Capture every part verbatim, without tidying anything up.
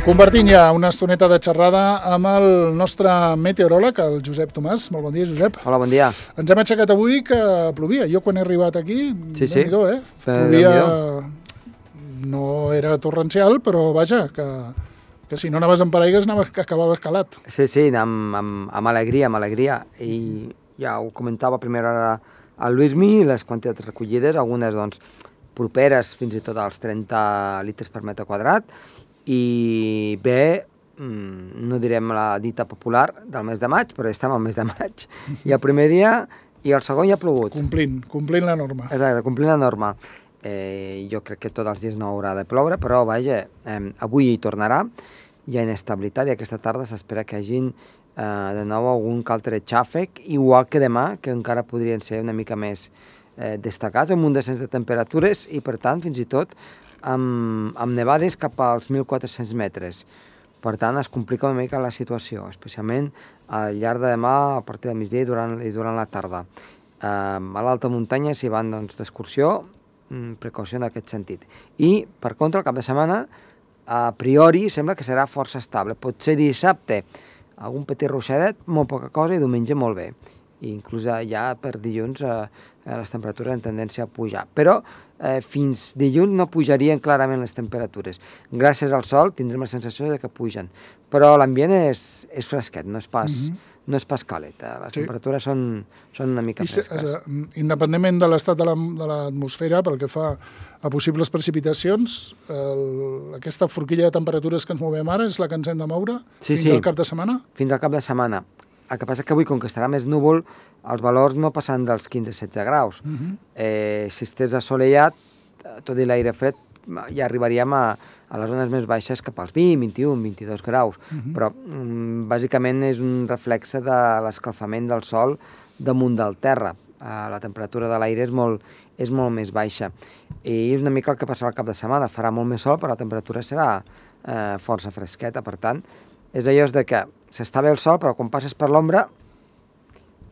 Compartint ja una estoneta de xerrada amb el nostre meteoròleg, el Josep Tomàs. Molt bon dia, Josep. Hola, bon dia. Ens hem aixecat avui que plovia. Jo quan he arribat aquí, sí, sí. Déu-n'hi-do, eh? Plovia, no era torrencial, però vaja, que, que si no anaves amb paraigues acabaves calat. Sí, sí, amb, amb, amb alegria, amb alegria. I ja ho comentava a primera hora al Luismi, les quantitats recollides, algunes doncs properes fins i tot als trenta litres per metre quadrat, i bé, no direm la dita popular del mes de maig, però estem al mes de maig, i el primer dia i el segon ja ha plogut. Complint, complint la norma. Exacte, complint la norma. Eh, jo crec que tots els dies no haurà de ploure, però vaja, eh, avui hi tornarà, hi ha inestabilitat i aquesta tarda s'espera que hi hagin eh, de nou algun que altre xàfec, igual que demà, que encara podrien ser una mica més eh, destacats, amb un descens de temperatures i per tant fins i tot amb, amb nevades cap als mil quatre-cents metres. Per tant, es complica una mica la situació, especialment al llarg de demà, a partir del migdia i durant, i durant la tarda. Eh, a l'alta muntanya s'hi van doncs, d'excursió, precaució en aquest sentit. I, per contra, el cap de setmana, a priori, sembla que serà força estable. Potser dissabte algun petit ruixadet, molt poca cosa, i diumenge molt bé. I inclús ja per dilluns eh, les temperatures en tendència a pujar. Però eh, fins dilluns no pujarien clarament les temperatures. Gràcies al sol tindrem la sensació de que pugen. Però l'ambient és, és fresquet, no és pas, mm-hmm. no és pas càlid. Les sí. temperatures són, són una mica fresques. I, independentment de l'estat de l'atmosfera, pel que fa a possibles precipitacions, el, aquesta forquilla de temperatures que ens movem ara és la que ens hem de moure sí, fins sí. al cap de setmana? Fins al cap de setmana. El que passa és que avui, com que estarà més núvol, els valors no passen dels quinze a setze graus. Uh-huh. eh, si estés assolellat, tot i l'aire fred, ja arribaríem a, a les zones més baixes cap als vint, vint-i-un, vint-i-dos graus. Uh-huh. Però, mm, bàsicament, és un reflexe de l'escalfament del sol damunt del terra. Eh, la temperatura de l'aire és molt, és molt més baixa. I és una mica el que passarà al cap de setmana. Farà molt més sol, però la temperatura serà eh, força fresqueta. Per tant, és allò de que s'està bé el sol, però quan passes per l'ombra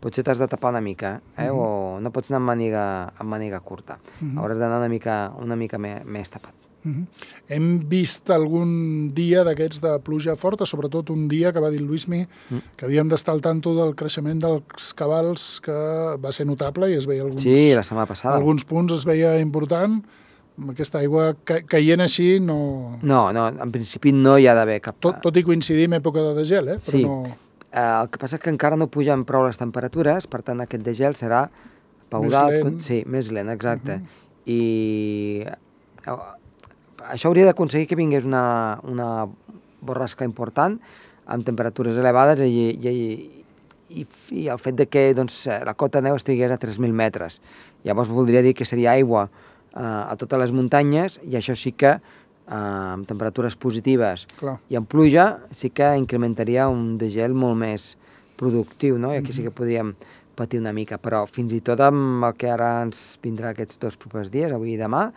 potser t'has de tapar una mica, eh? Uh-huh. O no pots anar amb màniga, amb màniga curta. Uh-huh. Hauràs d'anar una mica, una mica més, més tapat. Uh-huh. Hem vist algun dia d'aquests de pluja forta, sobretot un dia que va dir el Luismi uh-huh. que havíem d'estar al tanto del creixement dels cabals, que va ser notable i es veia alguns, sí, la setmana passada. Alguns punts es veia important. Aquesta aigua ca caient així no... No, no, en principi no hi ha d'haver cap... Tot, tot i coincidir amb època de degel, eh? Però sí. no... Eh, el que passa és que encara no pugen prou les temperatures, per tant aquest degel serà paulat... Més lent. Sí, més lent, exacte. Uh-huh. I eh, això hauria d'aconseguir que vingués una, una borrasca important, amb temperatures elevades, i, i, i, i el fet de que doncs, la cota de neu estigués a tres mil metres. Llavors voldria dir que seria aigua a totes les muntanyes, i això sí que eh, amb temperatures positives Clar. I amb pluja sí que incrementaria un degel molt més productiu, no? I aquí sí que podríem patir una mica, però fins i tot amb el que ara ens vindrà aquests dos propers dies, avui i demà,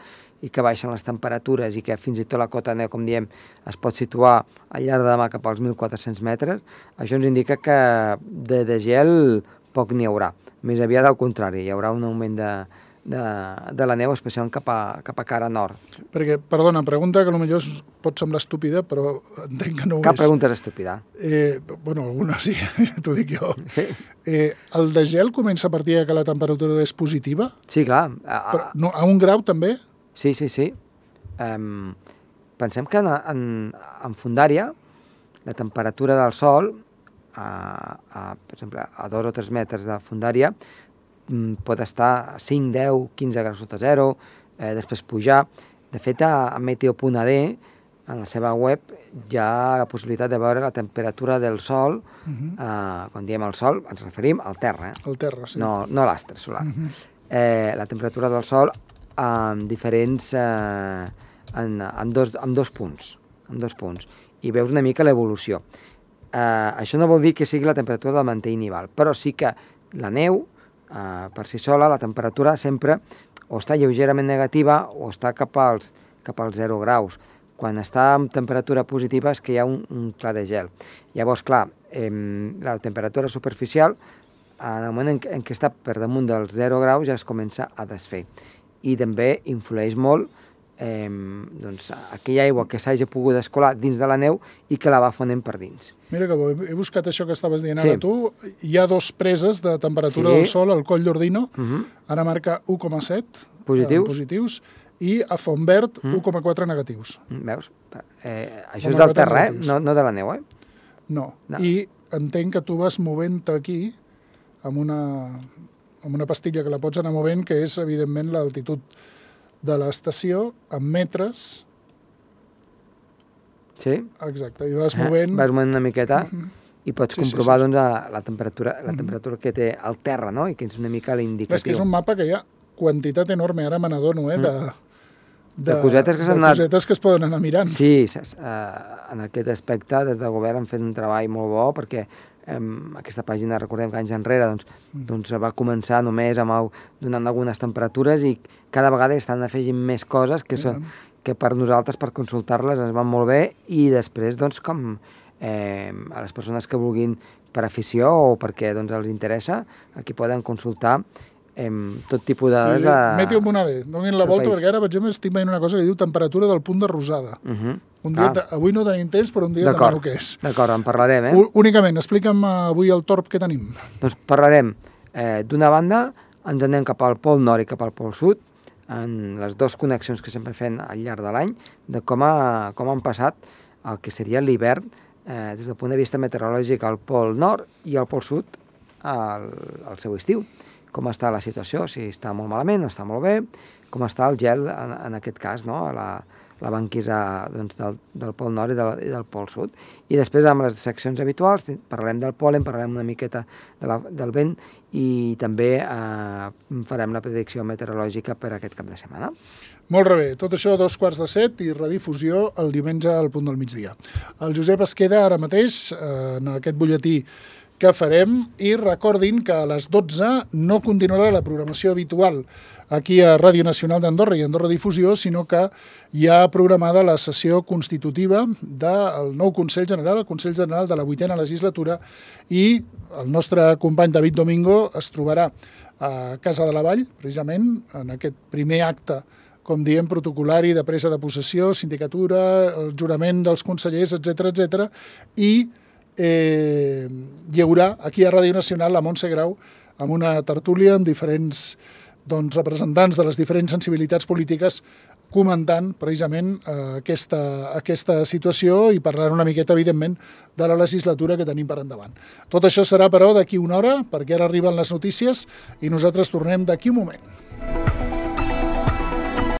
i que baixen les temperatures i que fins i tot la cota de neu, com diem, es pot situar al llarg de demà cap als mil quatre-cents metres, això ens indica que de degel poc n'hi haurà. Més aviat al contrari, hi haurà un augment de De, de la neu, especialment cap a, cap a cara nord. Perquè, perdona, pregunta que potser pot semblar estúpida, però entenc que no ho Cap és. Cap pregunta és estúpida. Eh, bueno, alguna sí, t'ho dic jo. Sí. Eh, el degel comença a partir que la temperatura és positiva? Sí, clar. Però, no, a un grau també? Sí, sí, sí. Um, pensem que en, en, en Fondària la temperatura del sol, a, a, per exemple, a dos o tres metres de Fondària, pot estar a cinc, deu, quinze graus sota zero, eh, després pujar. De fet, a, a meteo punt a de, en la seva web, hi ha la possibilitat de veure la temperatura del sol. Uh-huh. eh, quan diem el sol, ens referim al terra. Eh? Al terra, sí. No, no a l'astre solar. Uh-huh. eh, la temperatura del sol amb diferents... Eh, en, en, dos, en dos punts. En dos punts. I veus una mica l'evolució. Eh, això no vol dir que sigui la temperatura del mantell nival, però sí que la neu, Uh, per si sola, la temperatura sempre o està lleugerament negativa o està cap als, cap als zero graus. Quan està amb temperatura positiva és que hi ha un, un clar de gel. Llavors, clar, eh, la temperatura superficial, en el moment en, en què està per damunt dels zero graus, ja es comença a desfer. I també influeix molt eh, doncs, aquella aigua que s'hagi pogut escolar dins de la neu i que la va fonent per dins. Mira que bo, he buscat això que estaves dient Sí. ara tu. Hi ha dos preses de temperatura Sí. del sol, al Coll d'Ordino, Uh -huh. ara marca u coma set Positius. eh, positius, i a Fontverd u coma quatre negatius. Veus? Eh, això Com és a del quatre terra, eh? negatius. No, no de la neu, eh? No. No. I entenc que tu vas movent aquí amb una, amb una pastilla que la pots anar movent, que és, evidentment, l'altitud de l'estació en metres. Sí? Exacte, i vas Eh? movent... Vas movent una miqueta i pots Sí, sí, comprovar sí. doncs, la, la, temperatura, la temperatura que té el terra, no? I que és una mica l'indicatiu. És que és un mapa que hi ha quantitat enorme, ara me n'adono, eh, de, de, De cosetes que de s'han anat- cosetes que es poden anar mirant. Sí, saps? Uh, en aquest aspecte, des del govern han fet un treball molt bo, perquè um, aquesta pàgina, recordem que anys enrere, doncs, doncs va començar només amb el, donant algunes temperatures i cada vegada estan afegint més coses que, són, que per nosaltres, per consultar-les, ens van molt bé i després, doncs, com eh, a les persones que vulguin per afició o perquè doncs, els interessa, aquí poden consultar eh, tot tipus de dades de... Meteo Monade, donin la del volta, país. perquè ara, per exemple, estic veient una cosa que diu temperatura del punt de rosada. Uh -huh. Un dia, Ah, avui no tenim temps, però un dia d'acord, demano què és. d'acord, en parlarem, eh? U- Únicament, explica'm avui el torb que tenim. Doncs parlarem, eh, d'una banda, ens anem cap al pol nord i cap al pol sud, en les dues connexions que sempre fem al llarg de l'any, de com, ha, com han passat el que seria l'hivern eh, des del punt de vista meteorològic al pol nord i al pol sud al, al seu estiu. Com està la situació, si està molt malament o està molt bé, com està el gel en, en aquest cas, no? la, la banquisa doncs, del, del pol nord i del, i del pol sud. I després, amb les seccions habituals, parlarem del pol·len, parlarem una miqueta de la, del vent i també eh, farem la predicció meteorològica per aquest cap de setmana. Molt bé, tot això a dos quarts de set i redifusió el diumenge al punt del migdia. El Josep es queda ara mateix eh, en aquest butlletí que farem i recordin que a les dotze no continuarà la programació habitual aquí a Ràdio Nacional d'Andorra i Andorra Difusió, sinó que hi ha programada la sessió constitutiva del nou Consell General, el Consell General de la vuitena legislatura, i el nostre company David Domingo es trobarà a Casa de la Vall, precisament, en aquest primer acte, com diem, protocolari de presa de possessió, sindicatura, el jurament dels consellers, etcètera, etcètera, i eh, hi haurà aquí a Ràdio Nacional la Montse Grau amb una tertúlia amb diferents doncs, representants de les diferents sensibilitats polítiques comentant precisament eh, aquesta, aquesta situació i parlant una miqueta, evidentment, de la legislatura que tenim per endavant. Tot això serà, però, d'aquí una hora, perquè ara arriben les notícies i nosaltres tornem d'aquí un moment.